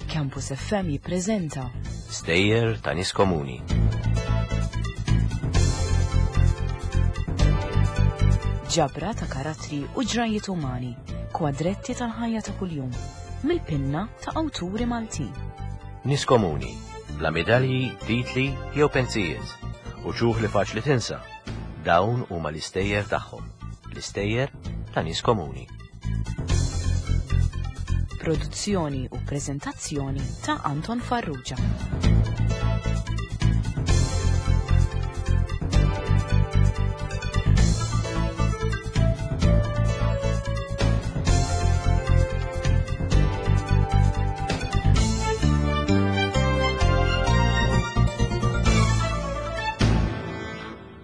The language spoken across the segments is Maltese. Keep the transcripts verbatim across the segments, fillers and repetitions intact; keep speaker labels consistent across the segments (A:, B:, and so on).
A: Campus F M jippreżenta
B: Stejjer ta' nies komuni.
A: Ġabra ta' karattri u ġrajiet umani, kwadretti tal-ħajja ta' kuljum, mill-pinna ta' awturi Maltin.
B: Nies komuni, bla medalji, titli jew pensijiet, u ċuħ li faċli tinsa. Dawn huma l-istejjer tagħhom, l-istejjer ta' nies komuni.
A: Produzzjoni u preżentazzjoni ta' Anton Farrugia.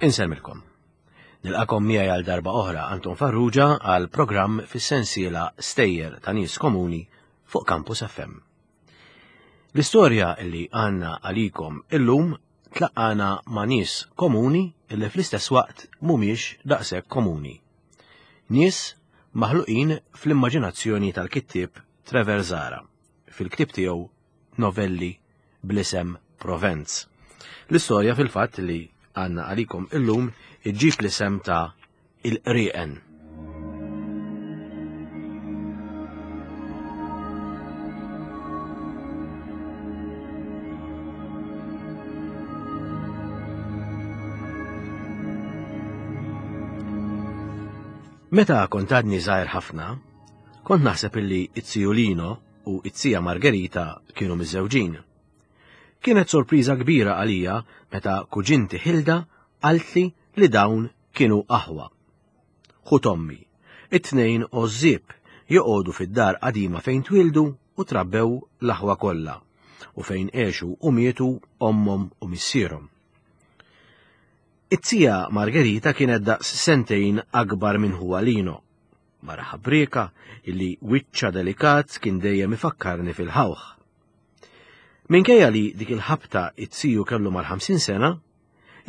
B: Insellmilkom. Nilqakom miegħi għal darba oħra Anton Farrugia għal programm fis-sensiela Stejjer ta' Nies Komuni fuq Campus F M. L-istorja li għandna għalikom illum tlaqqana ma' nies komuni illi fl-istess waqt mhumiex daqshekk komuni. Nies maħluqin fl-immaġinazzjoni tal-kittieb Trevor Zahra fil-ktieb tiegħu Novelli bl-isem Provenz. L-istorja fil-fatt li għandna għalikom illum iġġib l-isem ta' Il-Qrieqen. Meta kont għadni żgħir ħafna, kont naħseb illi it-ziju Lino u it-zija Margherita kienu miżżewġin. Kienet sorpriża kbira għalija meta kuġinti Hilda qaltli li dawn kienu aħwa. Ħu ommi, it-tnejn għożżieb joqogħdu fid-dar qadima fejn twildu u trabbew l-aħwa kollha u fejn għexu u mietu ommhom u missierhom. It-zija Margherita kienet daqs sentejn akbar minn ħuha Lino. Mara ħabrieka illi wiċċa delikat kien dejjem ifakkarni fil-ħawħ. Minkejja li dik il-ħabta it-ziju kellu mal-ħamsin sena,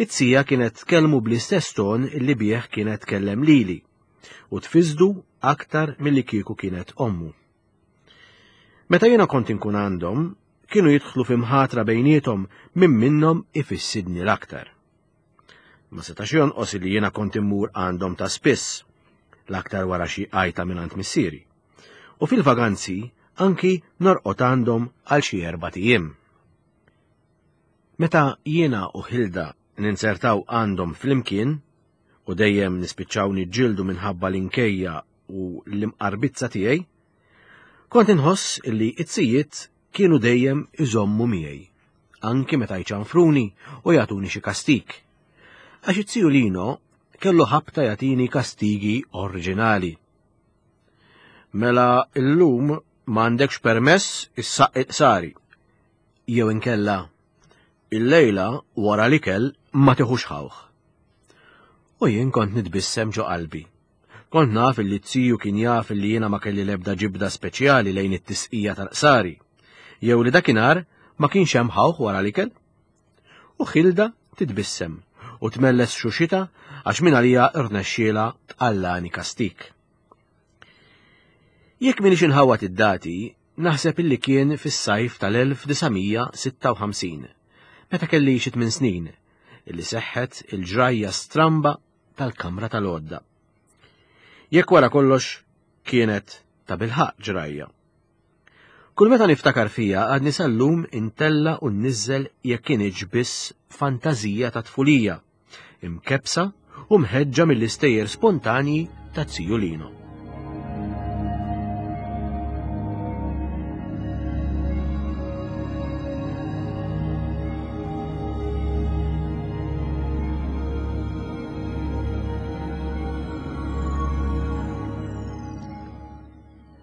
B: it-zija kienet tkellmu bl-istess ton illi bih kienet tkellem lili u tfiżdu aktar milli kieku kienet ommu. Meta jiena kont inkun għandhom, kienu jidħlu fi mħatra bejniethom minn minnhom ifissidni l-aktar. Ma setax jonqos li jiena kont immur għandhom ta' spiss, l-aktar wara xi għajta mingħand missieri. U fil-vaganzi anki norqod għandhom għal xi erbat ijiem. Meta jiena u Hilda ninsertaw għandhom flimkien u dejjem nispiċċaw niġġieldu minħabba l-inkejja u l-imqarbizza tiegħi, kont inħoss illi it-sijiet kienu dejjem iżommu miegħi, anki meta jċanfruni u jagħtuni xi kastik. Għax it-ziju Lino kellu ħabta jagħtini kastigi oriġinali. Mela illum m'għandekx permess issaqq il-qsari. Jew inkella il-lejla wara l-ikel ma tiħux ħawħ. U jien kont nitbissem ġo qalbi. Kont naf illi t-ziju kien jaf illi jiena ma kelli l-ebda ġibda speċjali lejn it-tisqija tal-qsari, jew li dakinhar ma kienx hemm ħawħ wara l-ikel. U Hilda titbissem u tmelles xuxita għax minn għalija rnexxiela tqallani kastik. Jekk minix inħawat id-dati, naħseb illi kien fis-sajf tal-elf disa' mija sitta u ħamsin, meta kelli xi tmien snin, illi seħħet il-ġrajja stramba tal-kamra tal-għodda. Jekk wara kollox kienet ta' bilħaq ġrajja. Kull meta niftakar fija għadni sal-lum intella u nniżżel jekk kienx biss fantażija ta' tfulija, imkebsa u mħeġġa mill-istejjer spontanji ta' ziju Lino.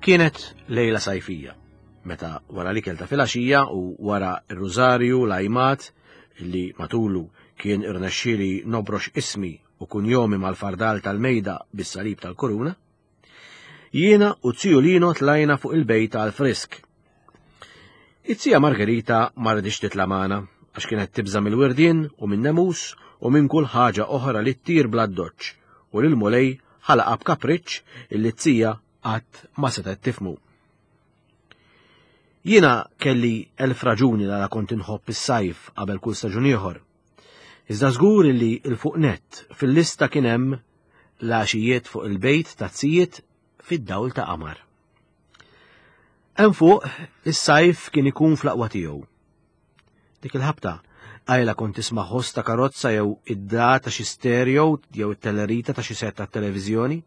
B: Kienet lejla sajfija, meta wara l-ikel ta' filgħaxija u wara r-rużarju l-ajmat li matulu kien irnexxieli nobrox ismi u kunjomi mal-fardal tal-mejda bis-salib tal-kuruna, jiena u ziju Lino tlajna fuq il-bejta għal-frisk. It-zija Margherita ma ridix titla' magħna għax kienet tibża' mill-wirdien u minn nemus u minn kull ħaġa oħra li ttir bla ddoċċ u lil Mulej ħalaqha b'kapriċċ illi t-zija qatt ma setgħet tifhmu. Jiena kelli elf raġuni għala kont inħobb is-sajf qabel kull staġun ieħor. Iżda żgur li l-fuq nett fil-lista kien hemm l-għaxijiet fuq il-bejt ta' tzijiet fid-dawl ta' qamar. Hemm fuq is-sajf kien ikun fl-aqwa tiegħu. Dik il-ħabta għajla kont tisma' ħoss ta' karozza jew id-dra ta' xi stereo jew it-tellerita ta' xi set tat-televiżjoni.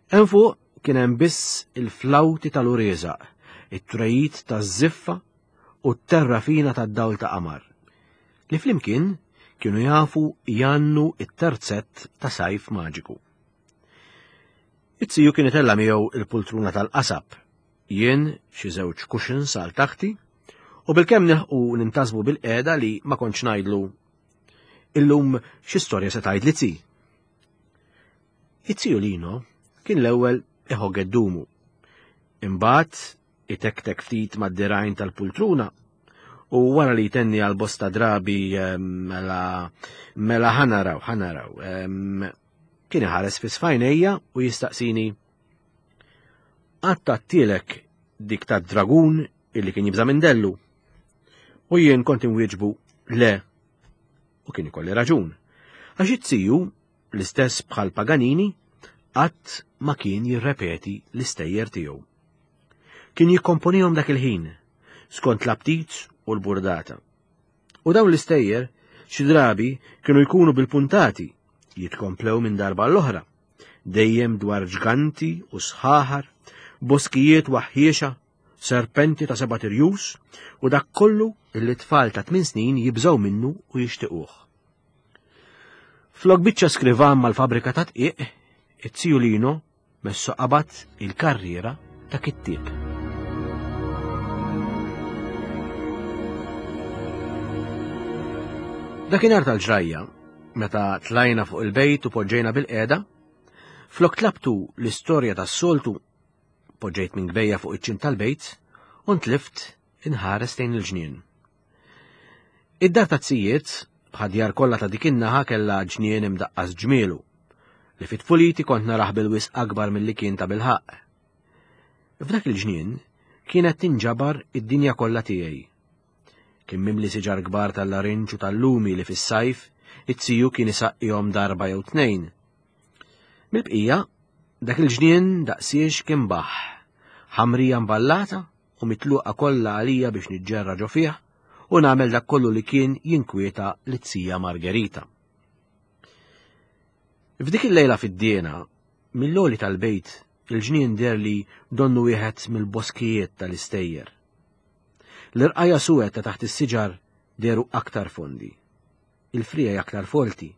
B: Hemm fuq kien hemm biss il-flawti tal-ureżaq, it-trejit taż-żiffa u t-terrafina tad-dawl ta' qamar, li flimkien kienu jafu jannu it-terzett ta' sajf maġiku. It-siju kien itella' miegħu il-pultruna tal-qasab, jien xi żewġ cushions għal taħti, u bilkemm nilħqu nintasbu bil-qiegħda li ma kontx ngħidlu illum xi storja se tgħidli zi. It-ziju Lino kien l-ewwel iħogg dumu. Imbagħad itektek ftit mad-dirgħajn tal-pultruna u wara li jtenni għal bosta drabi mela mela ħanaraw ħanaraw kien iħares fi sfajnejja u jistaqsini qatt għattielek dik tad-dragun illi kien jibża' minn dellu. U jien kont inwieġbu le, u kien ikolli raġun. Għax it-siju, l-istess bħal Paganini, qatt ma kien jirrepeti l-istejjer tiegħu. Kien jikkomponihom dak il-ħin, skont l-aptit u l-burdata. U dawn l-istejjer xi drabi kienu jkunu bil-puntati, jitkomplew minn darba l-oħra, dejjem dwar ġganti u sħaħar, boskijiet waħħiexa, serpenti ta' seba' tirjus u dak kollu illi tfal ta' tmien snin jibżgħu minnu u jixtiequh. Flok biċċa skrivan mal-fabrika ta' dqiq, it-ziju Lino messu qabad il-karriera ta' kittieb. Dakinhar tal-ġrajja, meta tlajna fuq il-bejt u poġġejna bil-qiegħda, flok tlabtu l-istorja tas-soltu, poġġejt minn gbejja fuq iċ-ċint tal-bejt u ntlift inħares lejn il-ġnien. Id-dar ta' tzijiet, bħad-djar kollha ta' dik in-naħa kellha ġnien imdaqqas ġmielu, li fit-tfuliti kont naraħ bil-wisq akbar milli kien ta' bilħaqq. F'dak il-ġnien kienet tinġabar id-dinja kollha tiegħi. Kien mimli siġar kbar tal-larinġ u tal-lumi li fis-sajf it-siju kien isaqqihom darba jew tnejn. Mill-bqija, dak il-ġnien daqsiex kien baħ, ħamrija mballata u mitluqa kollha għalija biex niġġerra ġo fih u nagħmel dak kollu li kien jinkwieta lit-tija Margherita. F'dik il-lejla fid-diena, mill-għoli tal-bejt, il-ġnien deher li donnu wieħed mill-boskijiet tal-istejjer. L-irqajja suwed ta' taħt is-siġar dehru aktar fondi, il-frijaj aktar folti.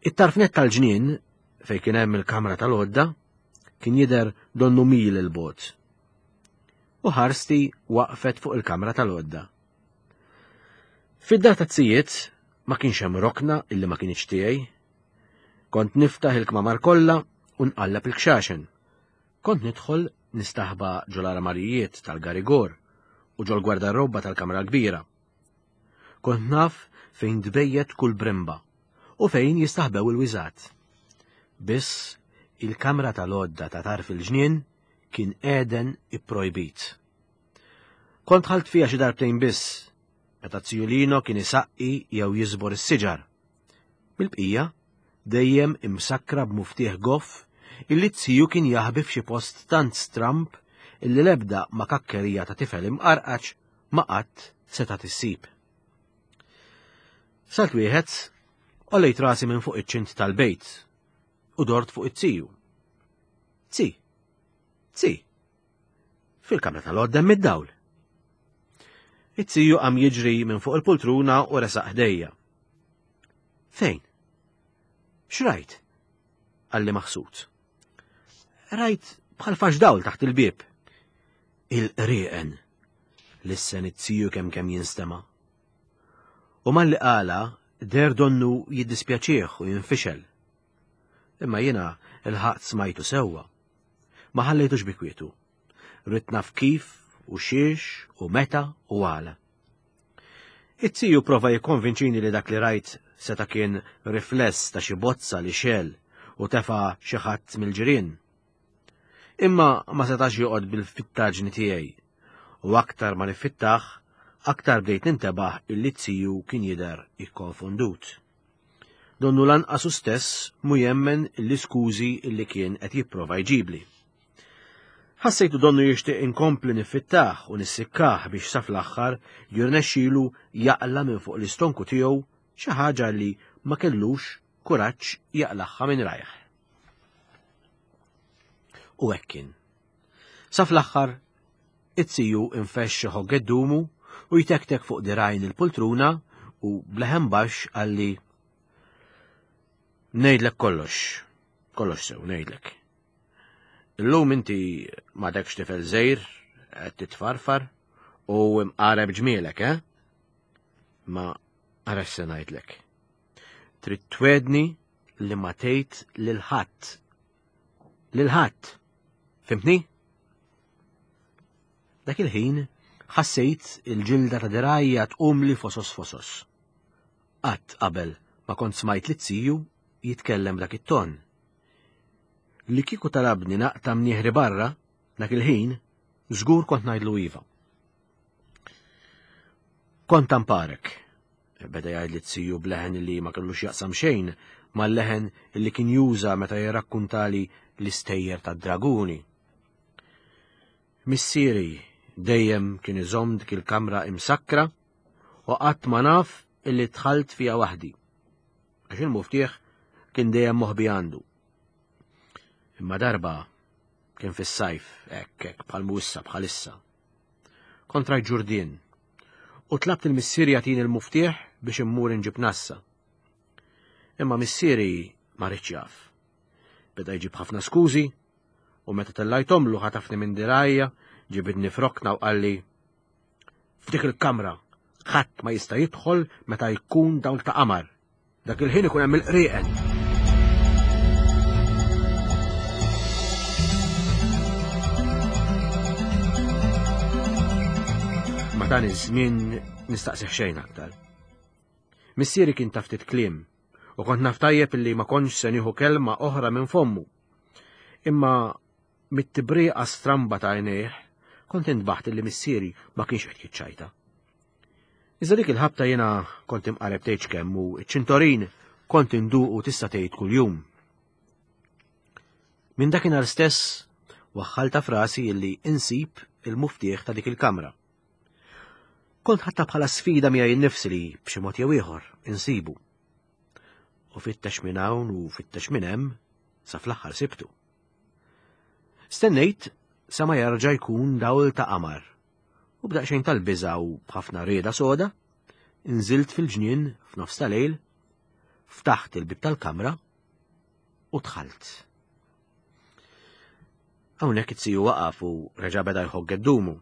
B: It-tarfnet tal-ġnien, fejn kien hemm il-kamra tal-għodda, kien jidher donnu mil il-bogħod. U ħarsti waqfet fuq il-kamra tal-għodda. Fid-dar ta' tzijiet ma kienx hemm rokna illi ma kienx tiegħi. Kont niftaħ il-kmamar kollha u nqalleb il-kxaxen. Kont nidħol nistaħba ġol-armarijiet tal-garigor u ġol-gwardarobba tal-kamra kbira. Kont naf fejn tbejjet kull brimba u fejn jistaħbew il-wiżat. Biss il-kamra tal-għodda ta' tarf il-ġnien kien Eden ipprojbit. Kont ħalt fiha xi darbtejn biss, meta ziju Lino kien isaqqi jew jiżbor is-siġar. Mill-bqija, dejjem imsakkra b'muftieħ goff illi t-siju kien jaħbi f'xi post tant stramp illi l-ebda ma kakkerija ta' tifel imqarqaċ ma qatt seta' tissib. Salt wieħed, għollejt rasi minn fuq iċ-ċint tal-bejt u dort fuq it-siju. Zi, zi, fil-kamra tal-għodda hemm id-dawl. It-siju qam jiġri minn fuq il-pultruna u resaq ħdejja. Fejn? X'rajt? Qalli maħsud. Rajt bħal fax dawl taħt il-bieb. Il-qrieqen, lissen it-siju kemm kemm jinstema'. U malli qala der donnu jiddispjaċih u jinfixel. Imma jiena il-ħaqt smajtu sewwa. Ma ħallejtux bi kwietu. Ridt naf kif u xiex u meta u għala. It-siju prova jikkonvinċini li dak li rajt seta' kien rifless ta' xi bozza li xel u tefa' xi ħadd mill-ġirien. Imma ma setax joqgħod bil-fittaġni tiegħi. U aktar ma nifittaħ, aktar bdejt nintebaħ illi t-tiju kien jidher ikkonfondut. Donnu lanqas hu stess mu jemmen l-iskużi illi kien qed jipprova jġibli. Ħassejtu donnu jixtieq inkompli nifittaħ u nissikkah biex sa fl-aħħar jirnexxilu jaqla minn fuq l-istonku tiegħu xi ħaġa li ma kellux kuraġġ jaqlaħħa minn rajh. U hekk kien. Sa fl-aħħar it-tiju infexx iħogg geddumu u jtektek fuq dirajn il-pultruna u bleħen baxx qalli ngħidlek kollox, kollox sew ngħidlek. Illum inti m'għadekx tifel żgħir, qed titfarfar u mqareb ġmielek, eh? Ma ara x'se ngħidlek. Trid twedni li ma tgħid lil ħadd. Lil ħadd. Fimtni? Dak il-ħin ħassejt il-ġilda ta' dirgħajja tqumli fosos fosos. Qatt qabel ma kont smajt lit-tiju jitkellem b'dak it-ton. Li kieku talabni naqta' mnieħri barra, dak il-ħin, żgur kont ngħidlu iva. Kont tamparek, beda jgħid li t-tiju b'leħen li ma kellux jaqsam xejn mal-leħen li kien juża meta jirrakkuntali l-istejjer tad-draguni. Missieri dejjem kien iżomm dik il-kamra imsakkra u qatt ma naf illi dħalt fiha waħdi. Għax il-muftieħ kien dejjem moħbi għandu. Imma darba kien fis-sajf hekk hekk bħal issa bħalissa. Kont rajt ġurdien u tlabt il-missieri jagħtini l-muftieħ biex immur inġib nassa. Imma missieri ma riedx jaf. Beda jġib ħafna skużi u meta tellajtomlu ħatafni minn dirgħajja, ġibidni f'rokna u qalli f'dik il-kamra ħadd ma jista' jidħol meta jkun dawl ta' qamar. Dak il-ħin ikun hemm il-qrieqen. Ma dan iż-żmien nistaqsih xejn aktar. Missieri kien ta' ftit kliem u kont naf tajjeb illi ma kontx se nieħu kelma oħra minn fommu. Imma mit-tibriqa stramba ta' għajnejh kont intbaħt illi missieri ma kienx qed jiċċajta. Iżda dik il-ħabta jiena kont imqareb tgħidx kemm u ċ-ċintorin kont induqu tista' tgħid kuljum. Minn dakinhar stess waħħalta frasi illi insib il-muftieħ ta' dik il-kamra. Kont ħadtha bħala sfida miegħi nnifsi li b'xi mod jew ieħor insibu. U fittex minn hawn u fittex minn hemm sa fl-aħħar sibtu. Stennejt sa ma jerġa' jkun dawl ta' qamar. U b'daqsxejn tal-biża' u b'ħafna rieda soda, inżilt fil-ġnien f'nofs ta' lejl, ftaħt il-bib tal-kamra u dħalt. Hawnhekk it-tiju waqaf u reġa' beda jħogg geddumu.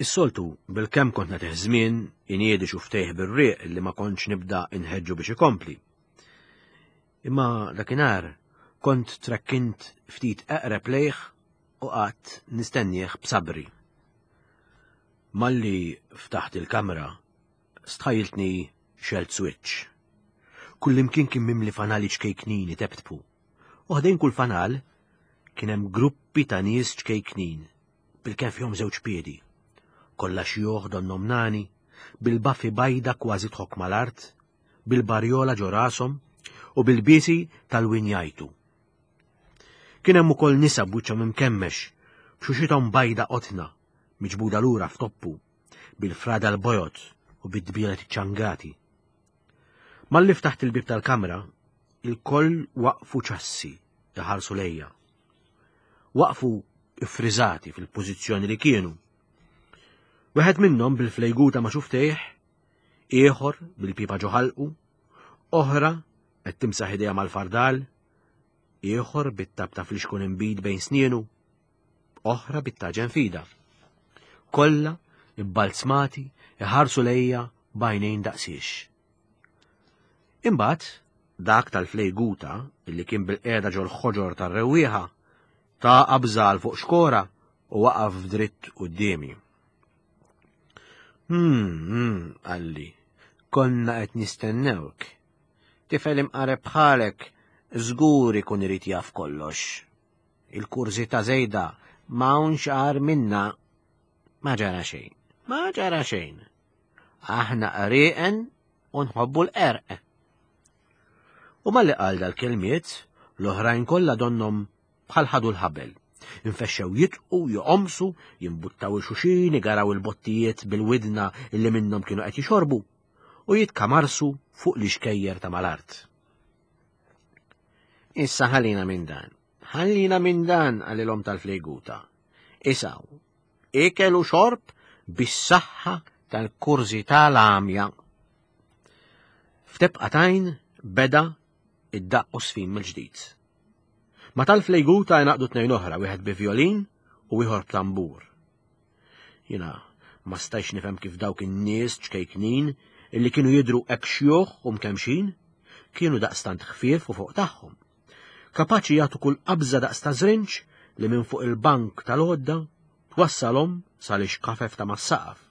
B: Is-soltu bil-kemm kont nagħtih żmien iniedi xuftejh bir-rieq li ma kontx nibda inħeġġu biex ikompli. Imma dakinhar kont trekkint ftit eqreb lejh u qatt nistennieh b'sabri. Malli ftaħt il-kamra, stħajiltni xelt switch. Kullimkien kien mimli fanali ċkejknin iteptpu. U ħdejn kull fanal kien hemm gruppi ta' nies ċkejknin, bil-kemm fihom żewġ piedi. Kollha xjuħ donhom nani, bil-baffi bajda kważi tħokk mal-art, bil-barjola ġo rashom u bil-biesi tal-winjajtu. Kien hemm ukoll nisa b'wiċċhom imkemmex, b'xuxithom bajda qotna, miġbuda lura f'toppu, bil-frada l-bojod u bid-dbielet iċċangati. Malli ftaħt il-bib tal-kamra, il-koll waqfu ċassi iħarsu lejja. Waqfu iffriżati fil-pożizzjoni li kienu. Wieħed minnhom bil-flejguta ma' xuftejh, ieħor bil-pipa ġo ħalqu, oħra qed timsaħ idejha mal-fardal, ieħor bit-tab ta' flixkun inbid bejn snienu, oħra bit-taġen fida. Kollha ibbalzmati iħarsu lejja b'għajnejn daqsiex. Imbagħad dak tal-flejguta illi kien bil-qiegħda ġol-ħoġor tar-rewwieħa ta' qabżal fuq xkora u waqaf dritt quddiemi. Hmm, hmm, qalli, konna qed nistennewk. Tifel imqareb bħalek żgur ikun irid jaf kollox. Il-kurżità żejda m'hawnx agħar minna. Ma ġara xejn, ma ġara xejn. Aħna qrieqen u nħobbu l-qerq. U malli qal dal-kelmiet, l-oħrajn kollha donnhom bħal ħadu l-ħabel. Infexxew jitqu, joqomsu, jimbuttaw il-xuxin, igaraw il-bottijiet bil-widna illi minnhom kienu qed jixorbu u jitkamarsu fuq l-ixkejjer ta' mal-art. Issa ħallina minn dan, ħallina minn dan qalilhom tal-flejguta. Isaw, ikel u xorb bis-saħħa tal-kurżità l-għamja. F'tebqa tajn beda id-daqq u sfin mill-ġdid. Ma tal-flejguta jnaqdu tnejn oħra, wieħed bi violin u ieħor b'tambur. Jiena ma stajx nifhem kif dawk in-nies ċkejknin illi kienu jidhru hekk xjuħ u mkemxin, kienu daqstant ħfief u fuq tagħhom. Kapaċi jagħtu kull qabża daqs ta' żrinġ li minn fuq il-bank tal-għodda twassalhom sal-ixkafef ta' mas-saqaf.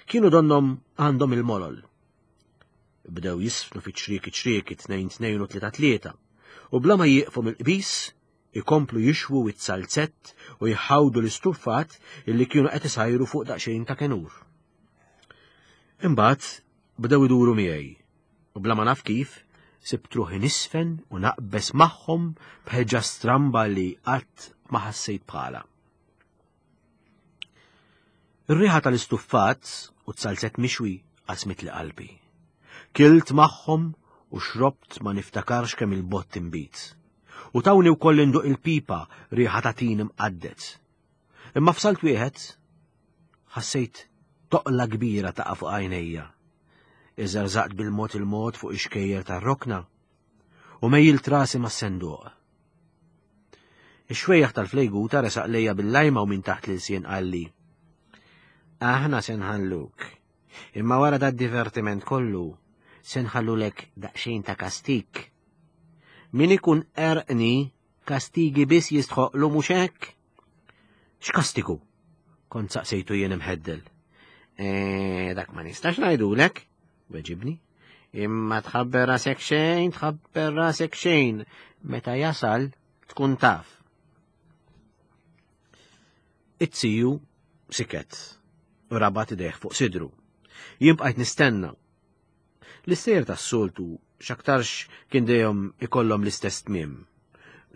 B: Kienu donnhom għandhom il-molol. Bdew jisfnu fi ċrieki ċrieki tnejn tnejn u tlieta tlieta, u bla ma jieqfu mill-qbis ikomplu jixwu it-salzett u jħawdu l-istuffat illi kienu qed isajru fuq daqsxejn ta' kenur. Imbagħad bdew iduru miegħi u bla ma naf kif sibt ruħi nisfen u naqbes magħhom b'ħeġġa stramba li qatt ma ħassejt bħala. Ir-riħa tal-istuffat u t-salzett mixwi qasmitli qalbi. Kilt magħhom u xrobt ma niftakarx kemm il-bott inbid. U tawni wkoll induq il-pipa riħa ta' tin imqadded. Imma f'salt wieħed ħassejt toqla kbira taqa' fuq għajnejja. Iżerżaqt bil-mod il-mod fuq ix-xkejjer tar-rokna u mejjilt rasi mas-senduq. Ix-xwejjaħ tal-flejguta resaq lejja bil-lajma u minn taħt l-ilsien qalli: Aħna se nħalluk, imma wara dad-divertiment kollu se nħallulek daqsxejn ta' kastik. Min ikun erqni, kastigi biss jistħoqlu mhux hekk? X'kastigu? Kont saqsejtu jien imħeddel. E, dak ma nistax ngħidulek, weġibni. Imma tħabber rasek xejn, tħabber rasek xejn, meta jasal tkun taf. It-tiju siket u rabat idejh fuq sidru. Jien bqajt nistenna. L-istejjer tas-soltu x'aktarx kien dejjem ikollhom l-istess tmiem.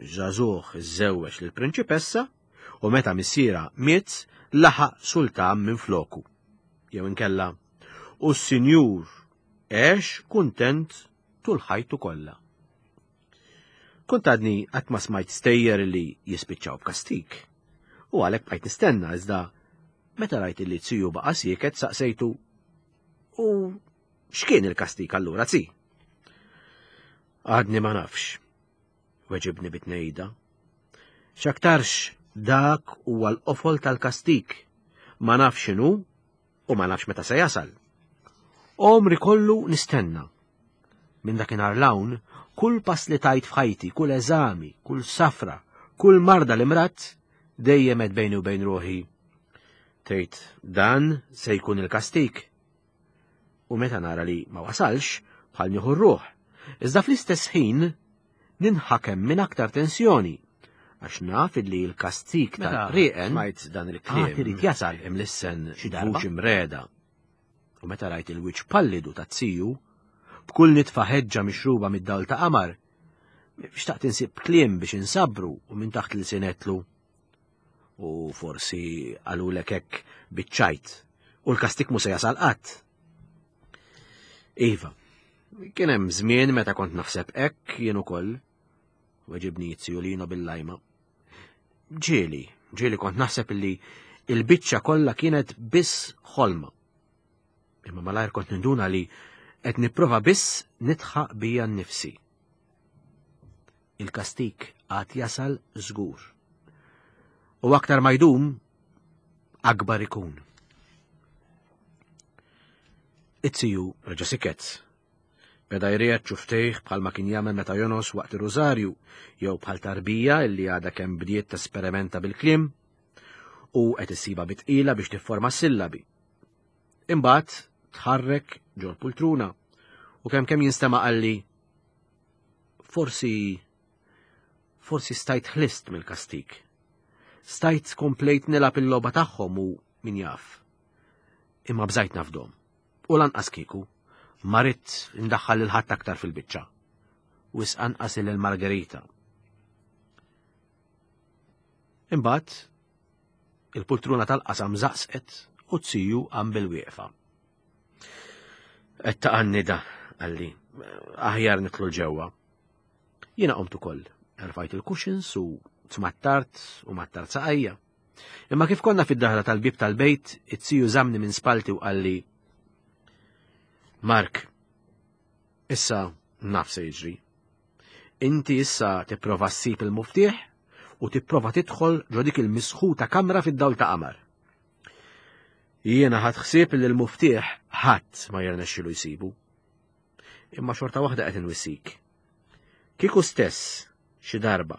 B: Żagħżugħ iżżewweġ lill-prinċipessa u meta missiera miet laħaq sultan minn floku. Jew inkella u s-sinjur għex kuntent tul ħajtu kollha. Kont għadni qatt ma smajt stejjer li jispiċċaw b'kastik. U għalhekk bqajt nistenna iżda meta rajt li t-tiju baqa' sieket saqsejtu u x'kien il-kastik allura zi? Għadni ma nafx, weġibni bit-tnejda. X'aktarx dak huwa l-qofol tal-kastik, ma nafx x'inhu u ma nafx meta se jasal. Għomri kollu nistenna. Minn dakinhar 'l hawn, kull pass li tajt f'ħajti, kull eżami, kull safra, kull marda li mradt, dejjem għedt bejni u bejn ruħi. Tgħid dan se jkun il-kastik. U meta nara li ma wasalx, bħal nieħu r-ruħ. Iżda fl-istess ħin ninħakem minn aktar tensjoni, għax naf li l-kastik tal-qrieqen
C: smajt dan il-kliem
B: għad irid jasal
C: imlissen
B: xi darba.
C: Vuċi mreda. U meta rajt il-wiċċ pallidu ta' tiju, b'kull nitfa ħeġġa mixruba mid-dawl ta' qamar, xtaqt insib kliem biex insabru u minn taħt l-sinetlu. U forsi qalulek hekk biċ-ċajt, u l-kastik mu se jasal qatt. Iva, kien hemm żmien meta kont naħseb hekk jien ukoll, weġibni z-ziju Lino bil-lajma. Ġieli, ġieli kont naħseb illi il-biċċa kollha kienet biss ħolma. Imma malajr kont ninduna li qed nipprova biss nidħaq bija nnifsi. Il-kastik għad jasal żgur. U aktar ma jdum, akbar ikun. It-tiju reġa' siket. Beda jriegħed xufftejh bħalma kien jagħmel meta jonos waqt ir-rużarju, jew bħal tarbija illi għadha kemm bdiet tesperimenta bil-kliem u qed issiba bi tqila biex tifforma sillabi. Imbagħad tħarrek ġol pultruna u kemm kemm jinstema' qalli forsi
B: forsi stajt ħlist mill-kastik. Stajt komplejt nilgħab il-logħba tagħhom u min jaf. Imma bżajt nafdom. U lanqas kieku, ma ridt indaħħal lil ħadd aktar fil-biċċa. Wisq anqas lil Margherita. Imbagħad il-pultruna tal-qasam żaqsqet u t-siju qam bil-wieqfa. Qed taqannida, qalli, aħjar nidħlu ġewwa. Jiena qomt ukoll, erfajt il-cushions u tmattart u mattart saqajja. Imma kif konna fid-daħla tal-bib tal-bejt, it-siju żamni minn spalti u qalli: Mark, issa naf se jiġri. Inti issa tipprova ssib il-muftieħ u tipprova tidħol ġo dik il-misħuta kamra fid-dawl ta' qamar. Jiena ħadt ħsieb li l-muftieħ ħadd ma jirnexxilu jsibu. Imma xorta waħda qed inwissik. Kieku stess xi darba,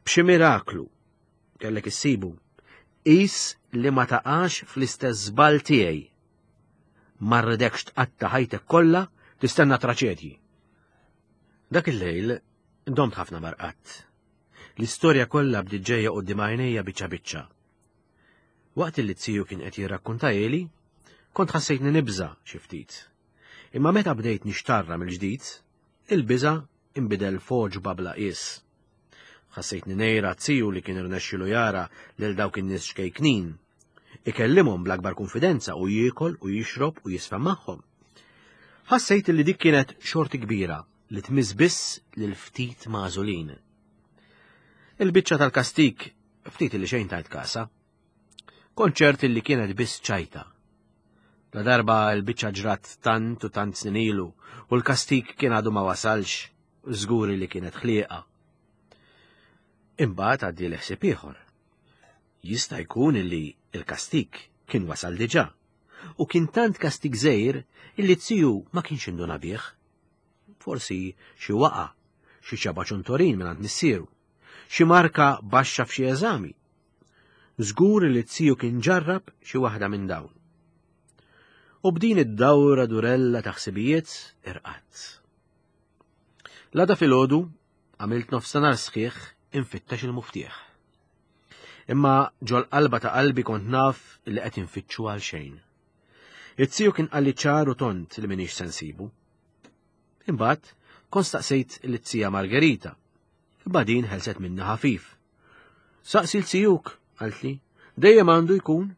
B: b'xi miraklu kellek issibu, qis li ma taqax fl-istess żball tiegħi. Ma rridekx tqatta' ħajtek kollha tistenna traċedji. Dak il-lejl domt ħafna marqat. L-istorja kollha bdiet ġejja quddiem għajnejja biċċa biċċa. Waqt li t-siju kien qed jirrakkuntajeli, kont ħassejtni nibża' xi ftit. Imma meta bdejt nixtarra mill-ġdid, il-biża' inbidel f'għoġba bla qies. Ħassejtni ngħira t-siju li kien irnexxilu jara lil dawk in-nies xkejknin, ikellimhom bl-akbar konfidenza u jiekol u jixrob u jisfa' magħhom. Ħassejt li dik kienet xorti kbira li tmiss biss lil ftit magħżulin. Il-biċċa tal-kastik ftit li xejn tajt kasa. Kont ċert li kienet biss ċajta. La darba l-biċċa ġrat tant u tant snin ilu u l-kastik kien għadu ma wasalx, żguri li kienet ħlieqa. Imbagħad għaddi l-ħsieb ieħor. Jista' jkun li l-kastik kien wasal diġà u kien tant kastik żgħir illi t-siju ma kienx induna bih. Forsi xi waqa, xi ċaba ċuntorin minn għand missieru, xi marka baxxa f'xi eżami. Żgur li t-siju kien ġarrab xi waħda minn dawn. U b'din id-dawra durella ta' ħsibijiet irqatt. L-għada filgħodu għamilt nofsinhar sħiħ infittex il-muftieħ. Imma ġol-qalba ta' qalbi kont naf li qed infittxu għal xejn. It-siju kien qalli ċar u tont li m'iniex se nsibu. Imbagħad kont staqsejt lit-tija Margherita. Imma din ħelset minni ħafif. Saqsi l-sijuk, qaltli, dejjem għandu jkun.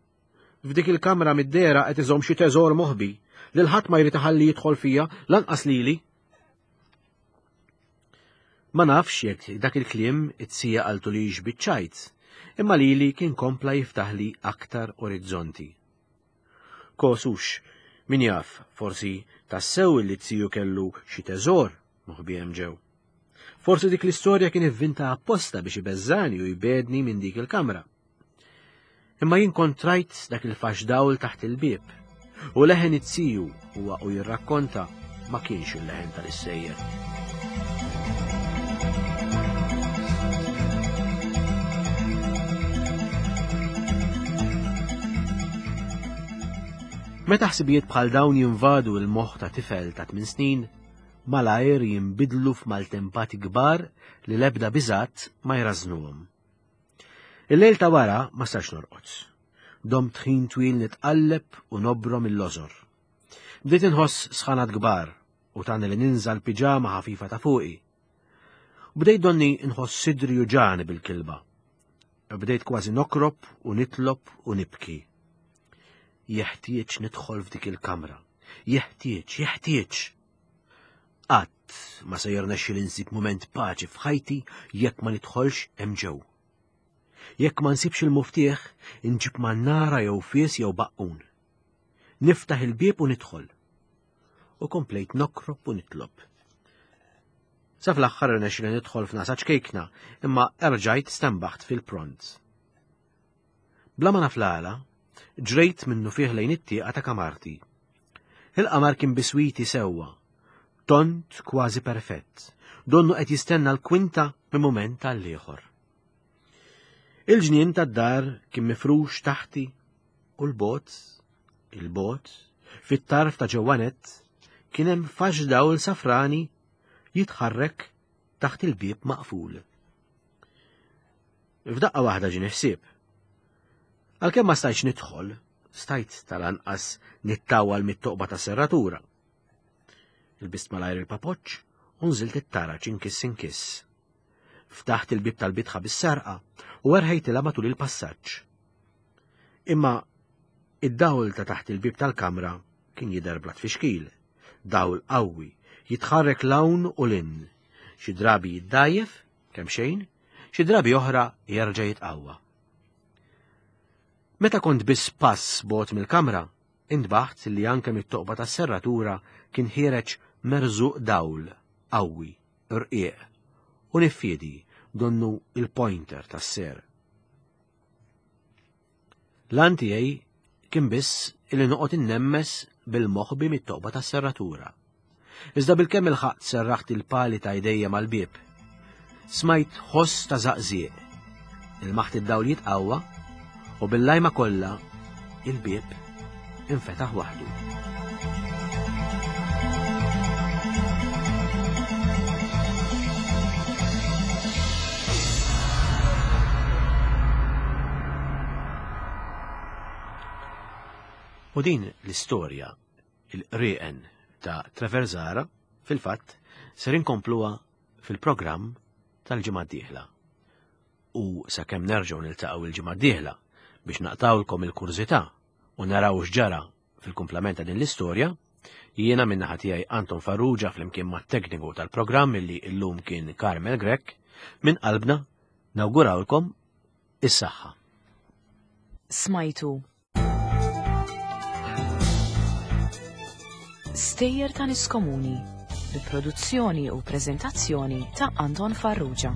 B: F'dik il-kamra mid-dera qed iżomm xi teżor moħbi li l-ħadd ma jrid iħalli jidħol fija lanqas lili. Ma nafx jekk dak il-kliem it-sija qaltu li biċ-ċajt, imma lili kien kompla jiftaħli aktar orizzonti. Kosux, min jaf, forsi tassew li t-siju kellu xi teżor moħbi hemm ġew. Forsi dik l-istorja kien ivvinta apposta biex ibeżżani u jbedni minn dik il-kamra. Imma jien kont rajt dak il-fax dawl taħt il-bieb u leħen it-siju huwa u jirrakkonta ma kienx il-leħen tal-issejjer. Meta ħsibijiet bħal dawn jinvadu l-moħħ ta' tifel ta' tmien snin, malajr jinbidlu f'maltempati kbar li l-ebda biżgħat ma jrażnuhom. Il-lejl ta' wara ma stax norqod. Domt ħin twil nitqalleb u nobrom il-lożor. Bdejt inħoss sħanat kbar u tani li ninża l-piġama ħafifa ta' fuqi. Bdejt donni nħoss sidri uġani bil-kilba. Bdejt kważi nokrob u nitlob u nibki. Jeħtieġ nidħol f'dik il-kamra. Jeħtieġ, jeħtieġ. Qatt ma se jirnexxi li nsib mument paċi f'ħajti jekk ma nidħolx hemm ġew. Jekk ma nsibx il-muftieħ, inġib mannara jew fies jew baqqun. Niftaħ il-bieb u nidħol. U komplejt nokrob u nitlob. Sa fl-aħħar irnexxi li nidħol f'nasa ċkejkna, imma erġajt stembaħt fil-pront. Bla ma naf l-għala, ġrejt minnu fih lejn it-tieqa ta' kamarti. Il-qamar kien biswiti sewwa, tont kważi perfett, donnu qed jistenna l-kwinta minn mument għall-ieħor. Il-ġnien tad-dar kien mifrux taħti u l-bot, il-bot, fit-tarf ta' ġewwanet kien hemm fax dawl safrani jitħarrek taħt il-bieb maqful. F'daqqa waħda ġieni ħsieb. Għalkemm ma stajtx nidħol, stajt tal-anqas nittawal mit-toqba ta' serratura. Ilbist malajr il-papoċċ u nżilt it-taraġ inkiss inkiss. Ftaħt il-bieb tal-bitħa bis-serqa u erħejtilha matul il-passaġġ. Imma id-dawl ta' taħt il-bieb tal-kamra kien jidher bla tfixkil, dawl qawwi, jitħarrek 'l hawn u 'l hinn, xi drabi jiddgħajjef, kemm xejn, xi drabi oħra jerġa' jitqawwa. Meta kont biss pass bogħod mill-kamra, intbaħt li anke mit-toqba tas-serratura kien ħiereġ merżuq dawl qawwi, rqiq, u niffiedi donnu il-pointer tas-ser. L-għan tiegħi kien biss illi noqgħod innemmes bil-moħbi mit-toqba tas-serratura. Iżda bilkemm ilħaqt serraħt il-pali ta' idejja mal-bieb. Smajt ħoss ta' żaqżieq. Ilmaħt id-dawl jitqawwa u bil-lajma kollha il-bieb infetaħ waħdu. U din l-istorja, il-qrieqen ta' Trevor Zahra, fil-fatt, ser inkompluha fil-programm tal-ġimgħa d-dieħla. U sakemm nerġgħu niltaqgħu il-ġimgħa d-dieħla biex naqtawlkom il-kurżità u naraw x'ġara fil-kumplament ta' din l-istorja, jiena min-naħa tiegħi Anton Farrugia flimkien mat-tekniku tal-programm illi llum kien Carmel Grech, minn qalbna nawgurawlkom is-saħħa.
A: Smajtu Stejjer ta' Nies Komuni bi produzzjoni u preżentazzjoni ta' Anton Farrugia.